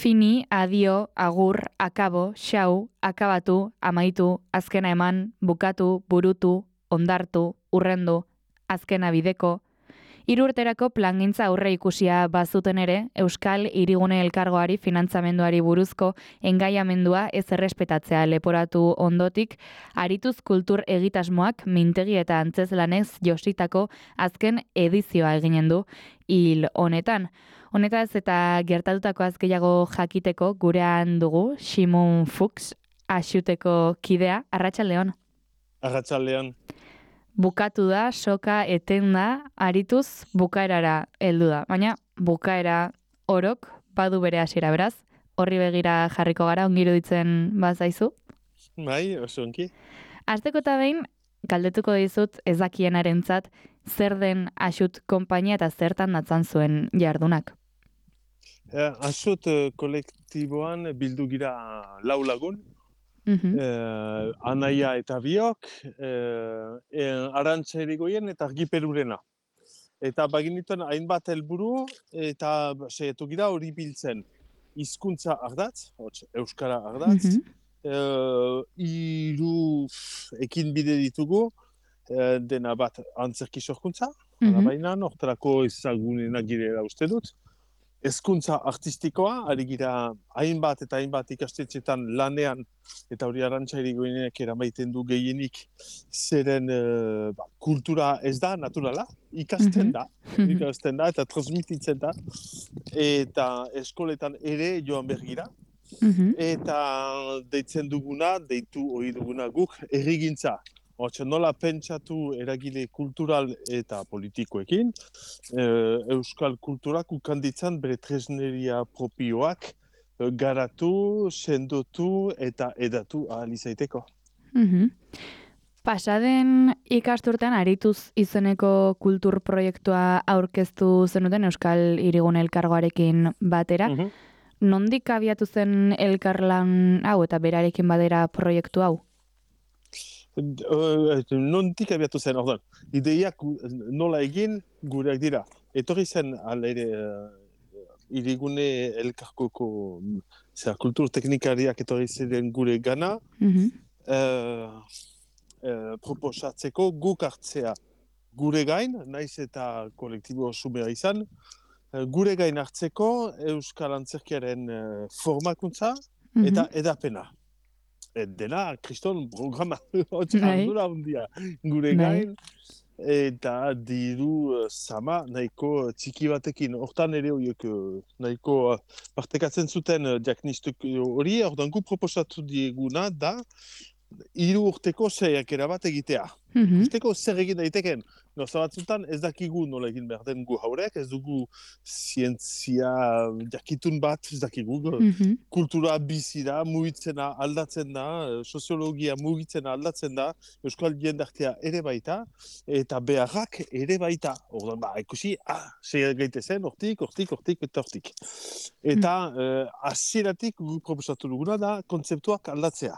Fini, adio, agur, akabo, xau, akabatu, amaitu, azkena eman, bukatu, burutu, ondartu, urrendu, azkena bideko. 3 urterako plangintza aurre ikusia bazuten ere, Euskal Hirigune Elkargoari finantzamenduari buruzko engaiamendua ez errespetatzea leporatu ondotik, arituz kultur egitasmoak mintegi eta antzezlanez jositako azken edizioa eginen du hil honetan. Honetaz eta gertatutakoaz gehiago jakiteko gurean dugu Simon Fuchs, Axuteko kidea. Arratsaldeon. Arratsaldeon. Bukatu da, soka etenda, arituz bukaerara heldu da. Baina bukaera orok badu bere hasiera, beraz. Horri begira jarriko gara, ongi iruditzen bazaizu. Bai, oso ongi. Hasteko eta behin, galdetuko dizut ez dakienarentzat zer den Axut konpainia eta zertan datzan zuen jardunak. Axut kolektiboan bildu gira 4 lagun. Anaia eta biok, Arantxa Irigoyen eta Argiperurena. Eta baginituen hainbat helburu eta saiatu gira hori biltzen. Hizkuntza ardatz, euskara ardatz, 3 ekinbide ditugu, dena bat antzerki sorkuntza, baina hortarako ezagunenak girela uste dut. Hezkuntza artistikoa, ari gira hainbat eta hainbat ikastetxetan lanean, eta hori Arantxa Irigoyenek eramaiten du gehienik, zeren kultura ez da naturala, ikasten da eta transmititzen da, eta eskoletan ere joan bergira, eta deitzen duguna, deitu hori duguna guk, errigintza. Nola pentsatu eragile kultural eta politikoekin, euskal kulturak ukanditzan bere tresneria propioak garatu, sendotu eta edatu ahal izaiteko. Pasaden ikasturtean arituz izeneko kultur proiektua aurkeztu zenuten Euskal Hirigune Elkargoarekin batera. Nondik abiatu zen elkarlan hau eta berarekin batera proiektu hau? Nondik abiatu zen, ordan. Ideiak nola egin gureak dira. Etorri zen alere Hirigune Elkargoko kultur teknikariak etorri ziren gure gana, proposatzeko guk hartzea gure gain, naiz eta kolektibo sumea izan, gure gain hartzeko Euskal Antzerkiaren formakuntza eta edapena. Dena, kriston programa, ardura hundia gure gain, eta diru sama nahiko txiki batekin. Hortan ere horiek nahiko partekatzen zuten diagnostik hori, ordan gu proposatu dieguna da 3 urteko saiakera bat egitea. Usteko zer egin daiteken. Gauza batzutan ez dakigu nola egin behar den gu haurek, ez dugu zientzia jakitun bat, ez dakigu. Kultura bizi da, mugitzena aldatzen da, soziologia mugitzena aldatzen da, euskal jendartea ere baita, eta beharrak ere baita. Ordan ikusi, sei gaitezen, hortik, eta hortik. Eta hasieratik gu proposatu duguna da kontzeptuak aldatzea.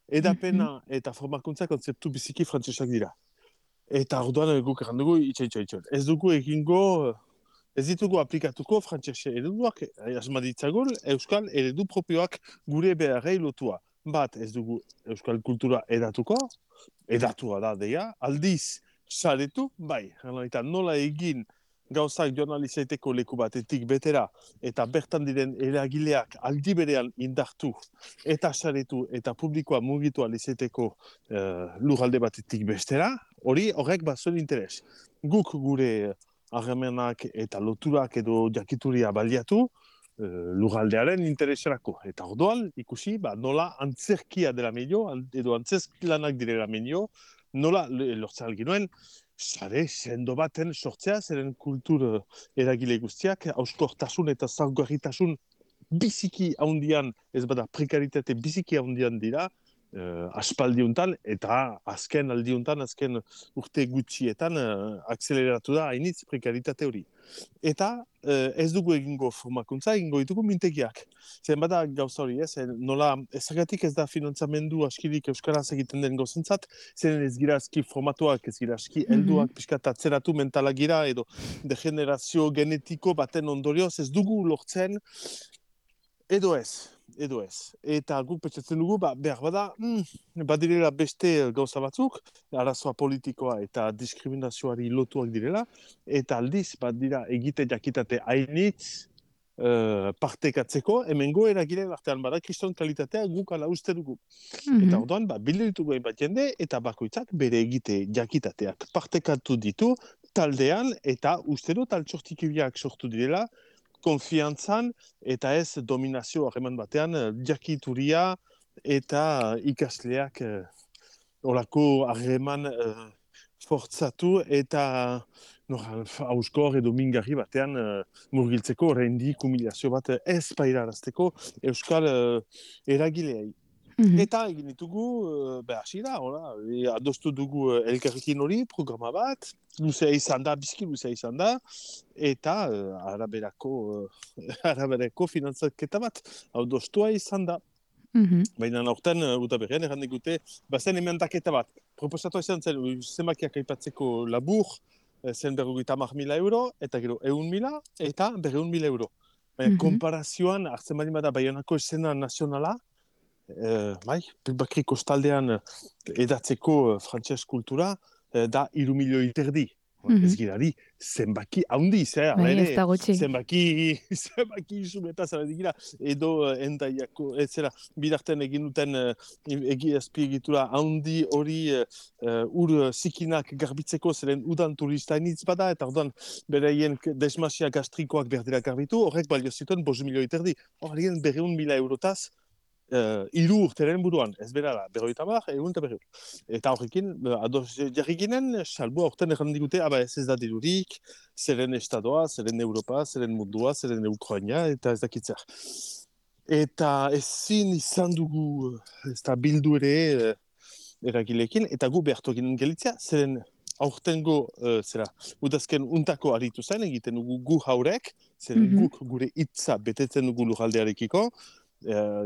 Edapena eta formakuntza kontzeptu biziki frantsesak dira. Eta orduan guk errandugu itxaitxo. Ez dugu egingo, ez ditugu aplikatuko frantsese ereduak, asmaditzagun euskal eredu propioak gure beharrei lotua. Bat, ez dugu euskal kultura edatua da deia, aldiz saretu, bai, eta nola egin gauzak journalizaiteko leku batetik betera, eta bertan diren eragileak aldi berean indartu, eta saretu, eta publikoa mugitu alizeteko lurralde batetik bestera, horrek bazuen interes. Guk gure harremanak eta loturak edo jakituria baliatu, lurraldearen intereserako. Eta orduan, ikusi, nola antzerkia dela medio, edo antzerkilanak direla medio, nola lortzea alginuen, sare sendo baten sortzea, zeren kultur eragile guztiak, hauskortasun eta zaurgarritasun biziki haundian, ez bada prekaritate biziki haundian dira, aspaldiuntan, eta azken aldiuntan, azken urte gutxietan, akseleratu da hainitz prekaritate hori. Eta ez dugu egingo formakuntza, egingo ditugu mintegiak. Zer bada gauza hori, nola ezagatik ez da finantzamendu askirik euskaraz egiten den gozentzat, zer ez gira aski formatuak, ez gira aski helduak, pixkat atzeratu mentalak gira, edo degenerazio genetiko baten ondorioz ez dugu lortzen Edo ez. Eta guk pentsatzen dugu, behar bada, badirela beste gauza batzuk, arazoa politikoa eta diskriminazioari lotuak direla, eta aldiz, badira egite jakitate hainitz partekatzeko, hemengo eragileen artean bada kriston kalitatea guk ala uste dugu. Eta orduan, bildu ditugu hainbat jende, eta bakoitzak bere egite jakitateak partekatu ditu taldean, eta uste dut altsortikibiak sortu direla, konfiantzan eta ez dominazio harreman batean jakituria eta ikasleak olako harreman fortzatu eta hauskor edo mingarri batean murgiltzeko oraindik humiliazio bat ez pairarazteko euskal eragileei. Eta egin ditugu, hasiera, adostu dugu elkarrekin hori, programa bat, luzea izan da, bizki luzea izan da, eta araberako finantzaketa bat, adostua izan da. Baina aurten, udaberrian, erran digute, bazen emendaketa bat. Proposatu izan zen, zenbakiak aipatzeko labur, zen 50.000 euro, eta gero 100.000, eta 200.000 euro. Baina konparazioan, hartzen bali bada Baionako esena nazionala, bakri kostaldean edatzeko frantses kultura da 3 milioi terdi. Ez girari, zenbaki haundi, ez da gutxi. zenbaki isumeta zara digira, edo endaiako, ez zera, bidarten egin duten azpiegitura haundi hori ur zikinak garbitzeko zeren udan turista initz bada, eta orduan bereien desmasia gastrikoak berdira garbitu, horrek balio zituen 5 milioi terdi. Horrien 200.000 eurotaz, 3 urteren buruan, ez berara, 50, egun eta 200. Eta horrekin, ados jarri ginen, salbu aurten erran digute, ez da dirurik, zeren estadoa, zeren Europa, zeren mundua, zeren Ukraina, eta ez dakitzer. Eta ezin izan dugu, ez da bildu ere eragilekin, eta gu behartu ginen gelitzea, zeren aurtengo, udazken untako aritu zen, egiten dugu gu haurek, zeren guk gure hitza betetzen dugu lujaldearekiko,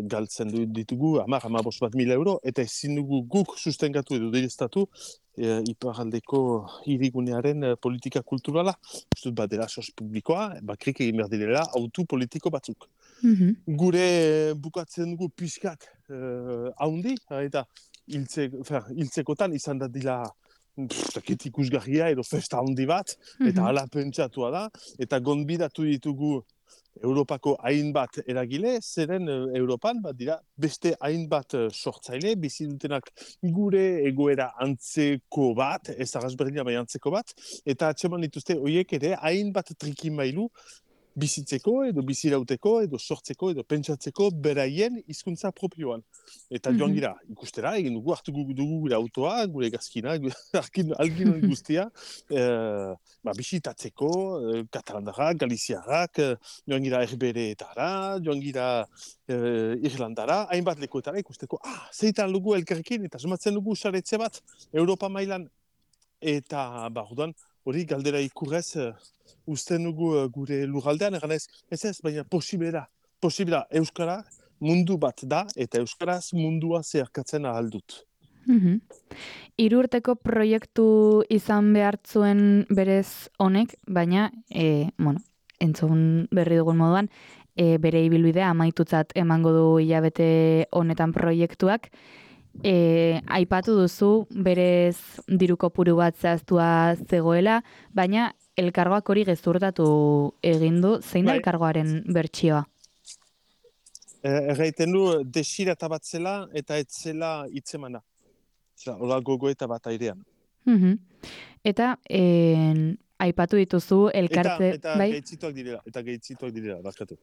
galtzen ditugu 10.000 euro, eta ezin dugu guk sustengatu edo direztatu iparraldeko hirigunearen politika kulturala. Ustut badela sos publikoa, bakrik egin behar direla autu politiko batzuk. Gure bukatzen dugu pixkat haundi, eta hiltzekotan izan da dila ikusgarria edo festa handi bat, eta hala pentsatua da, eta gonbidatu ditugu Europako hainbat eragile, zeren Europan dira beste hainbat sortzaile, bizi dutenak gure egoera antzeko bat, ez arrazberdina bai antzeko bat, eta atseman dituzte horiek ere hainbat trikimailu bizitzeko edo bizirauteko edo sortzeko edo pentsatzeko beraien hizkuntza propioan. Eta joan gira, ikustera, egin dugu, hartu dugu gure autoa, gure gazkina, algin guztia, bisitatzeko, katalandarrak, galiziarrak, joan gira herbereetara, joan gira Irlandara, hainbat lekuetara ikusteko, zeitan dugu elkarrekin, eta somatzen dugu saretze bat, Europa mailan, eta orduan, hori galdera ikurrez, usten dugu gure lurraldean, eganez, ez, baina posibera, Euskara mundu bat da, eta Euskaraz mundua zeharkatzen ahal dut. 3 urteko proiektu izan behartzuen berez honek, baina, entzun berri dugun moduan, bere ibilbidea amaitutzat emango du hilabete honetan proiektuak. Aipatu duzu berez diru kopuru bat zehaztua zegoela, baina elkargoak hori gezurtatu egin du, zein da elkargoaren bertsioa? Erraiten du desirata bat zela eta etzela hitzemana. Hola gogoeta bat airean. Eta aipatu dituzu elkarte... Eta gaitzituak direla, bakatu.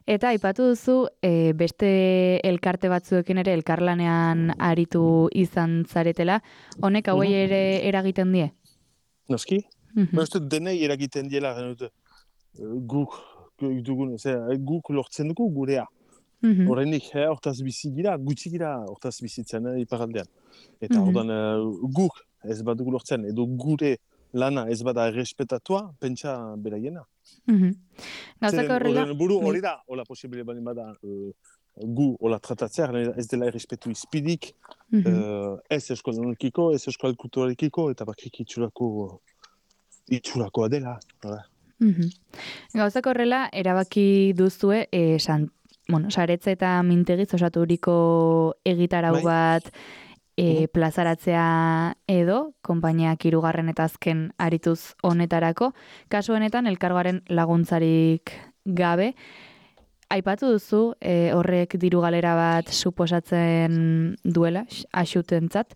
Eta aipatu duzu beste elkarte batzuekin ere elkarlanean aritu izan zaretela, honek hauei ere eragiten die? Noski? Denei eragiten diela guk lortzen dugu gurea. Horrenik, hortaz bizi gira, gutxi gira hortaz bizitzen iparaldean. Eta ordan guk ez badugu lortzen, edo gure lana ez bada errespetatua, pentsa beraiena. Gauzak horrela... Buru hori da, hola posibile bali bada gu hola tratatzea, ez dela errespetu izpidik, ez euskal kulturarekiko, eta bakrik itxurakoa dela. Gauzak horrela, erabaki duzue, saretze eta mintegiz osaturiko egitarau Bai? bat Mhm. plazaratzea edo, konpainiak hirugarren eta azken arituz honetarako, kasu honetan elkargoaren laguntzarik gabe, aipatu duzu horrek diru galera bat suposatzen duela, axutentzat,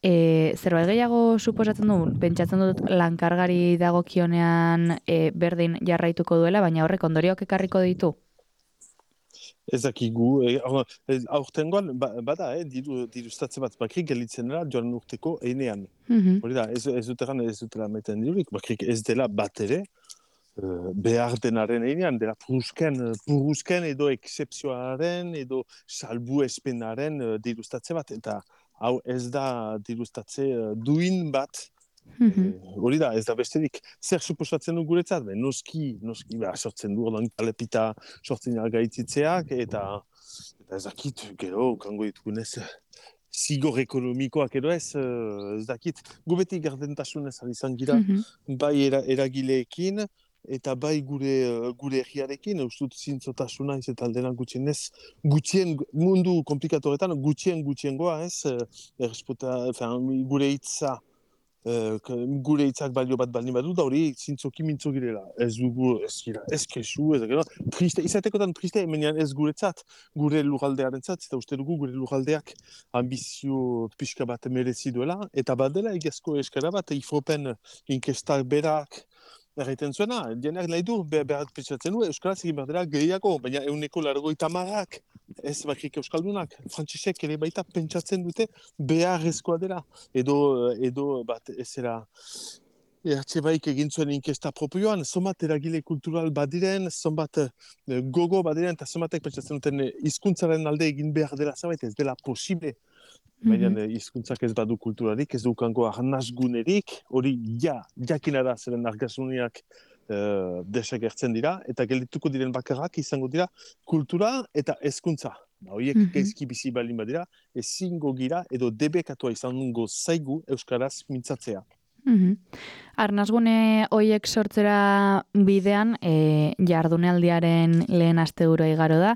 zerbait gehiago suposatzen du, pentsatzen dut lankargari dagokionean berdin jarraituko duela, baina horrek ondorioak ekarriko ditu. Ez dakigu, aurtengoan bada, dirustatze bat bakrik gelitzen dela joan urteko einean. Hori da, ez dutela meten dirurik, bakrik ez dela bat ere, behar denaren einean, dela purruzken edo eksepzioaren edo salbu espenaren dirustatze bat, eta hau ez da dirustatze duin bat. Hori da, ez da besterik. Zer suposatzen du guretzat? Noski, sortzen du, ordan kalepita sortzen gaititzeak, eta ez dakit, gero, kango ditugunez, zigor ekonomikoak edo ez dakit. Gu beti gardentasunez izan gira, bai eragileekin, eta bai gure herriarekin, ustut zintzotasuna ez eta aldenak gutxienez, mundu komplikatoretan, gutxiengoa ez, gure hitza, gure hitzak balio bat baldin badu, da hori zintzoki mintzo girela. Ez dugu, ez kesu, triste, izatekotan triste, menean ez guretzat, gure lurraldearen zat, eta uste dugu gure lurraldeak ambizio pixka bat merezi duela, eta badela egazko eskara bat, ifropen inkestak berak, erraiten zuena, jenak nahi du, berat pentsatzen du, euskaraz egin behar dela gehiago, baina 180 ez bakrik euskaldunak, frantzisek ere baita pentsatzen dute beharrezkoa dela, edo bat ezera Baik egin zuen inkesta propioan, zonbat eragile kultural badiren, zonbat gogo badiren, eta zonbatek pentsatzen duten hizkuntzaren alde egin behar dela zabait, ez dela posible. Baina hizkuntzak ez badu kulturarik, ez dukango arnazgunerik, hori jakina da zeren argasuniak desagertzen dira, eta geldituko diren bakarrak izango dira kultura eta hezkuntza. Horiek gaizki bizi baldin badira, ezingo gira edo debekatua izango zaigu euskaraz mintzatzea. Arnazgune hoiek sortzera bidean jardunaldiaren lehen asteburu igaro da,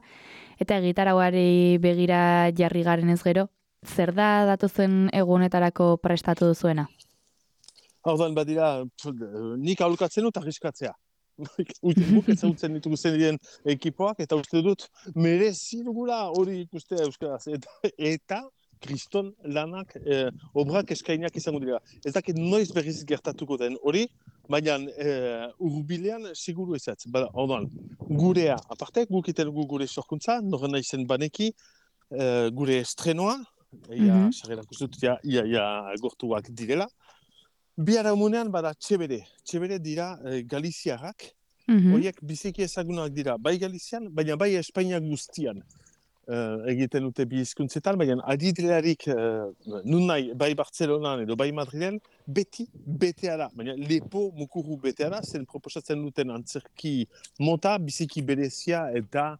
eta egitarauari begira jarri garen ez gero, zer da datozen egunetarako prestatu duzuena? Ordan badira, nik aholkatzen dut arriskatzea. Guk ezagutzen ditugu zen diren ekipoak, eta uste dut merezi dugula hori ikustea euskaraz. Eta kriston lanak, obrak eskainak izango dira. Ez dakit noiz berriz gertatuko den hori, baina urbilean siguru ezatz. Ordan, gurea, aparte, guk iten dugu gure sorkuntza, norren naizen baneki, gure estrenoa, sarrerak uste dut, gortuak direla. Biharamunean bada Txebere dira Galiziarrak, horiek biziki ezagunak dira, bai Galizian, baina bai Espainia guztian egiten dute bi hizkuntzetan, baina adidelarik nun nahi, bai Bartzelonan edo bai Madrilen, beti betea da, baina lepo mukuru betea da, zen proposatzen duten antzerki mota, biziki berezia eta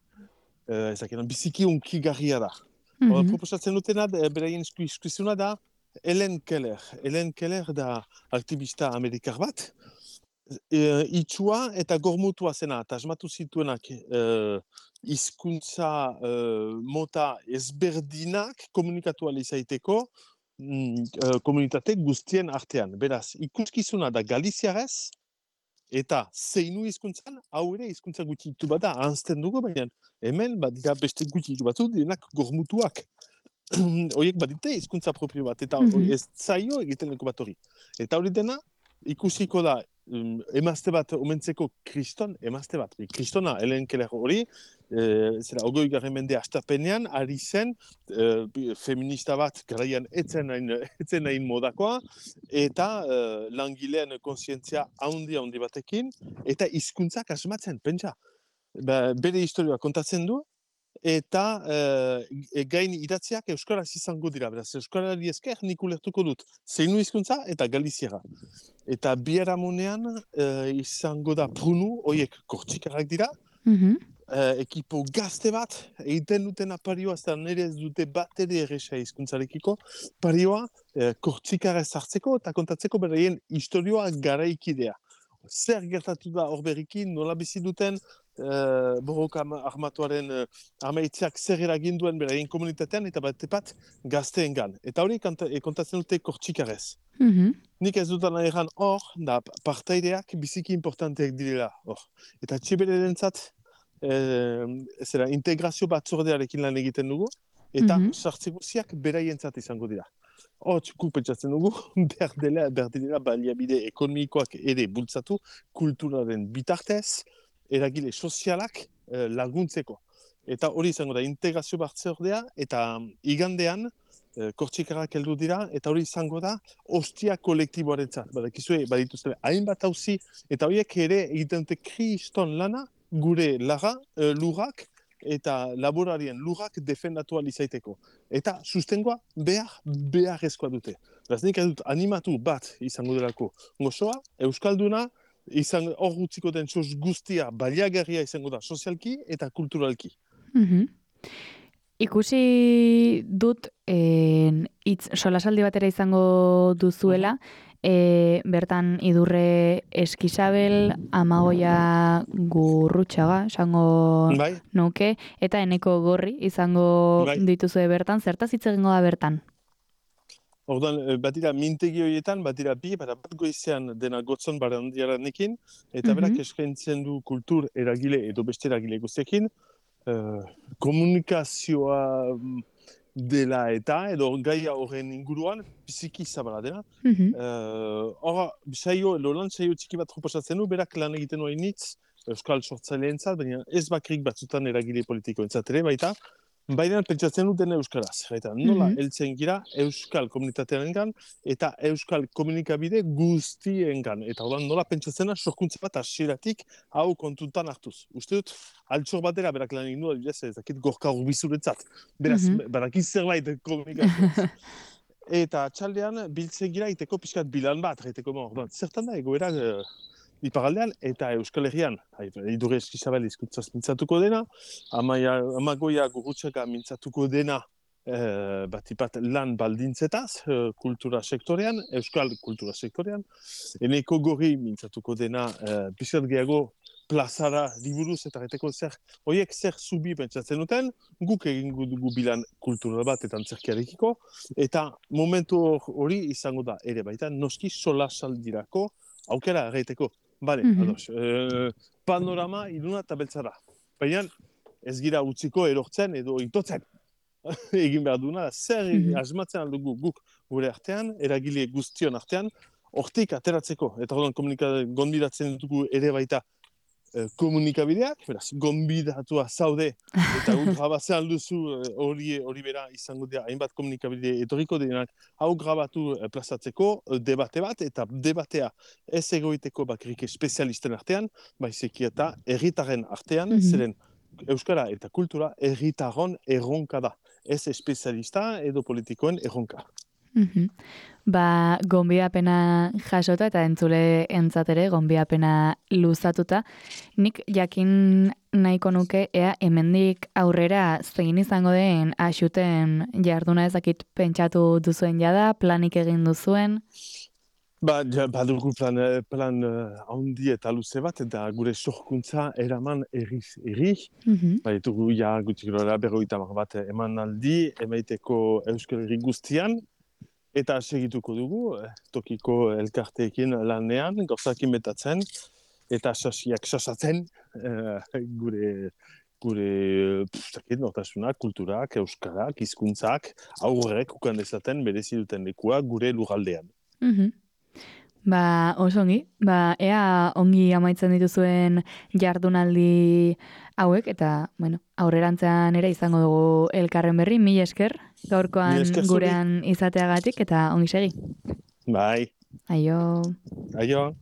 biziki unkigarria da. Proposatzen dutena, beraien eskuzuna da, Helen Keller da aktivista amerikar bat, itxua eta gormutua zena, eta asmatu zituenak hizkuntza mota ezberdinak komunikatu alizaiteko komunitate guztien artean. Beraz, ikuskizuna da galiziarez, eta zeinu hizkuntzan, hau ere hizkuntza gutxitu bat da, ahanzten dugu, baina hemen badira beste gutxitu batzu, direnak gormutuak. Horiek badite hizkuntza propio bat, eta ez zaio egiten leko bat hori. Eta hori dena, ikusiko da, emazte bat omentzeko kristona, Helen Keller hori, 20. mende astapenean, ari zen, feminista bat garaian etzen nahin modakoa, eta langileen kontzientzia handi batekin, eta hizkuntzak asmatzen, pentsa. Bere historioa kontatzen du, eta gain idatziak euskaraz izango dira, beraz, euskarari esker nik ulertuko dut zeinu hizkuntza eta galiziera. Eta biharamunean izango da prunu, horiek kortxikarrak dira, ekipo gazte bat, egiten duten aparioa, eta nire ez dute bat ere erresa hizkuntzarekiko, parioa kortxikarra hartzeko eta kontatzeko beraien historioa garaikidea. zer gertatu da hor berriki, nola bizi duten, borroka armatuaren amaitzeak zer eragin duen beraien komunitatean, eta bat gazteengan. Eta hori kontatzen dute Kortxikarrez. Nik ez dutan egan hor, da partaideak biziki importanteak direla hor. Eta txibererentzat, zera, integrazio batzordearekin lan egiten dugu, eta sartze guziak beraientzat izango dira. Hots, pentsatzen dugu, behar dela baliabide ekonomikoak ere bultzatu, kulturaren bitartez, eragile sozialak laguntzeko. Eta hori izango da integrazio batzordea, eta igandean, Kortxikarrak heldu dira, eta hori izango da ostia kolektiboarentzat. Badakizue, badituzte hainbat auzi, eta horiek ere egiten dute kriston lana, gure lurrak, eta laborarien lurrak defendatu alizaiteko. Eta sustengoa beharrezkoa dute. Beraz, nik dut animatu bat izango delako gozoa, euskalduna, hor utziko den soz guztia baliagarria izango da sozialki eta kulturalki. Ikusi dut solasaldi batera izango duzuela, bertan Idurre Eskisabel, Amagoia Gurrutxaga, esango nuke, eta Eneko Gorri izango dituzue bertan. Zertaz hitz egingo da bertan? Orduan, batira mintegi horietan, batira bat goizean dena gotzon barandiaranekin, eta berak eskaintzen du kultur eragile edo beste eragile guztiekin, komunikazioa dela edo gaia horren inguruan, biziki zabala dela. Hora, lan saio txiki bat proposatzen du, berak lan egiten hori nitz, euskal sortzaileentzat, baina ez bakrik batzutan eragile politikoentzat ere, baina pentsatzen duten euskaraz. Eta nola heltzen gira euskal komunitatearengan eta euskal komunikabide guztiengan. Eta nola pentsatzena sorkuntza bat hasieratik hau kontutan hartuz. Uste dut, altxor batera berak lan egin du, ez dakit Gorka Urbizuretzat. Beraz, barakiz zerbait komunikazioaz. Eta txaldean biltzen gira iteko pixkat bilan bat. Zertan da egoera iparaldean eta Euskal Herrian. Idurre Eskisabel hizkuntzaz mintzatuko dena, Amagoia Gurrutxaga mintzatuko dena batipat lan baldintzetaz, kultura sektorean, euskal kultura sektorean. Eneko Gorri mintzatuko dena pixkat gehiago plazara liburuz eta reteko horiek zer zubi pentsatzen duten, guk egingo dugu bilan kultural bat eta antzerkiarekiko, eta momentu hori izango da ere baita, noski solasaldirako aukera erraiteko. Ados, panorama iluna eta beltzara. Baina ez gira utziko erortzen edo itotzen. Egin behar duna, zer asmatzen aldugu guk gure artean, eragile guztion artean, hortik ateratzeko. Eta gonbidatzen dugu ere baita komunikabideak, beraz, gonbidatua zaude, eta grabatzen duzu hori bera izango dira, hainbat komunikabide etorriko denak, hau grabatu plazatzeko debate bat, eta debatea ez egoiteko bakrik espezialisten artean, baizeki eta herritarren artean, zeren euskara eta kultura herritarron erronka da, ez espezialista edo politikoen erronka. Gonbidapena jasota eta entzule entzatere gonbidapena luzatuta. Nik jakin nahiko nuke ea hemendik aurrera zein izango den axuten jarduna ezakit pentsatu duzuen jada, planik egin duzuen? Badugu plan handi eta luze bat, eta gure sorkuntza eraman erri. Baitugu gutxik gora 50 bat emanaldi, emaiteko Euskal Herri guztian, eta segituko dugu, tokiko elkarteekin lanean, gauzakin betatzen, eta sasiak sasatzen gure nortasuna, kulturak, euskarak, hizkuntzak, aurrek ukan dezaten berezi duten lekua gure lurraldean. Oso ongi, ea ongi amaitzen dituzuen jardunaldi hauek, eta, aurrerantzean ere izango dugu elkarren berri, mila esker, gaurkoan gurean izateagatik, eta ongi segi. Bai. Aio. Aio.